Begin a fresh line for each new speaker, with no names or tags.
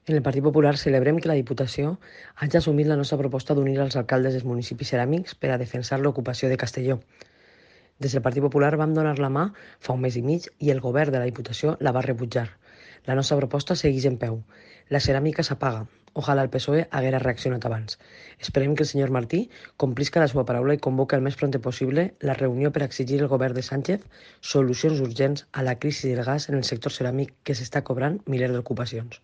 En el Partit Popular celebrem que la Diputació hagi assumit la nostra proposta d'unir els alcaldes dels municipis ceràmics per a defensar l'ocupació de Castelló. Des del Partit Popular vam donar la mà fa un mes i mig i el govern de la Diputació la va rebutjar. La nostra proposta segueix en peu. La ceràmica s'apaga. Ojalà el PSOE haguera reaccionat abans. Esperem que el senyor Martí complisca la seva paraula i convoque el més prompte possible la reunió per exigir al govern de Sánchez solucions urgents a la crisi del gas en el sector ceràmic que s'està cobrant milers d'ocupacions.